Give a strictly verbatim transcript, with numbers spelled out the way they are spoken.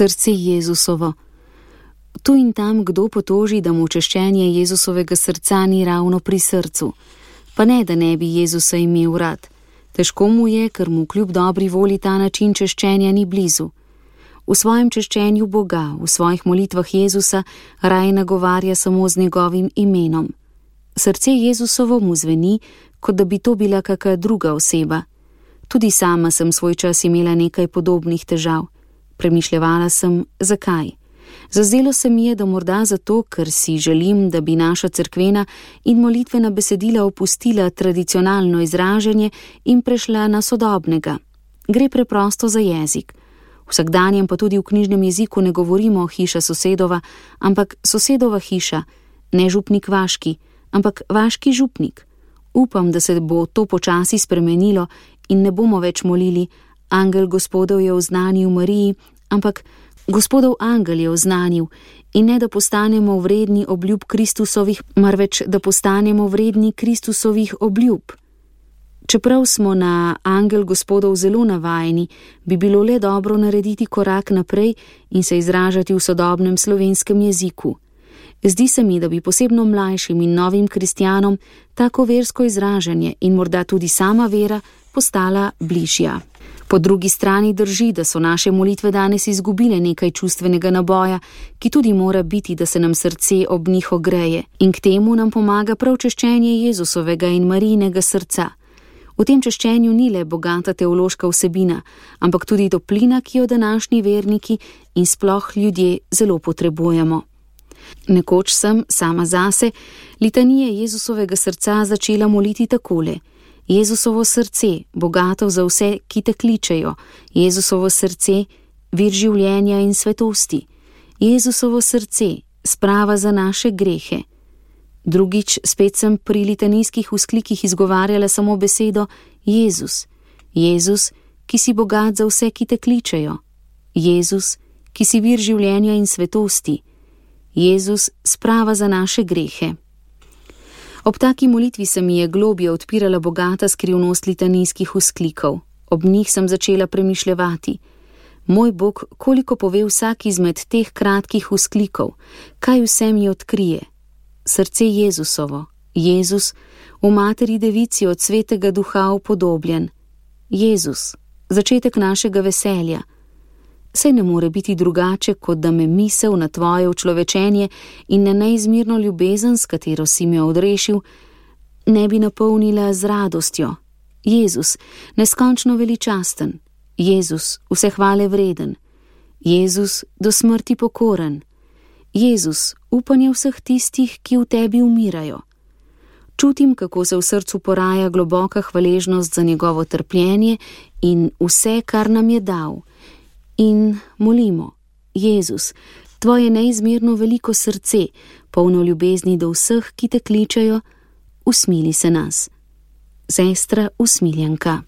Srce Jezusovo. Tu in tam kdo potoži, da mu češčenje Jezusovega srca ni ravno pri srcu. Pa ne, da ne bi Jezusa imel rad. Težko mu je, ker mu kljub dobri volji ta način češčenja ni blizu. V svojem češčenju Boga, v svojih molitvah Jezusa raje nagovarja samo z njegovim imenom. Srce Jezusovo mu zveni, kot da bi to bila kaka druga oseba. Tudi sama sem svoj čas imela nekaj podobnih težav. Premišljevala sem, zakaj. Zazdelo se mi je, da morda zato, ker si želim, da bi naša cerkvena in molitvena besedila opustila tradicionalno izražanje in prešla na sodobnega. Gre preprosto za jezik. Vsakdanjem pa tudi v knjižnem jeziku ne govorimo hiša sosedova, ampak sosedova hiša, ne župnik vaški, ampak vaški župnik. Upam, da se bo to počasi spremenilo in ne bomo več molili, angel Gospodov je oznanil Mariji, ampak Gospodov angel je oznanil, in ne da postanemo vredni obljub Kristusovih, marveč da postanemo vredni Kristusovih obljub. Čeprav smo na angel Gospodov zelo navajeni, bi bilo le dobro narediti korak naprej in se izražati v sodobnem slovenskem jeziku. Zdi se mi, da bi posebno mlajšim in novim kristjanom tako versko izražanje in morda tudi sama vera postala bližja. Po drugi strani drži, da so naše molitve danes izgubile nekaj čustvenega naboja, ki tudi mora biti, da se nam srce ob njih ogreje, in k temu nam pomaga prav češčenje Jezusovega in Marijinega srca. V tem češčenju ni le bogata teološka vsebina, ampak tudi toplina, ki jo današnji verniki in sploh ljudje zelo potrebujemo. Nekoč sem, sama zase, litanije Jezusovega srca začela moliti takole: Jezusovo srce, bogato za vse, ki te kličejo, Jezusovo srce, vir življenja in svetosti, Jezusovo srce, sprava za naše grehe. Drugič spet sem pri litanijskih vzklikih izgovarjala samo besedo Jezus, Jezus, ki si bogat za vse, ki te kličejo, Jezus, ki si vir življenja in svetosti, Jezus, sprava za naše grehe. Ob taki molitvi se mi je globje odpirala bogata skrivnost litanijskih vzklikov. Ob njih sem začela premišljevati. Moj Bog, koliko pove vsak izmed teh kratkih vzklikov, kaj vse mi odkrije. Srce Jezusovo, Jezus, v materi devici od svetega duha upodobljen. Jezus, začetek našega veselja. Saj ne more biti drugače, kot da me misel na tvoje učlovečenje in na neizmirno ljubezen, s katero si me odrešil, ne bi napolnila z radostjo. Jezus, neskončno veličasten, Jezus, vse hvale vreden, Jezus, do smrti pokoren, Jezus, upanje vseh tistih, ki v tebi umirajo. Čutim, kako se v srcu poraja globoka hvaležnost za njegovo trpljenje in vse, kar nam je dal. In molimo, Jezus, tvoje neizmerno veliko srce, polno ljubezni do vseh, ki te kličejo, usmili se nas. Sestra Usmiljenka.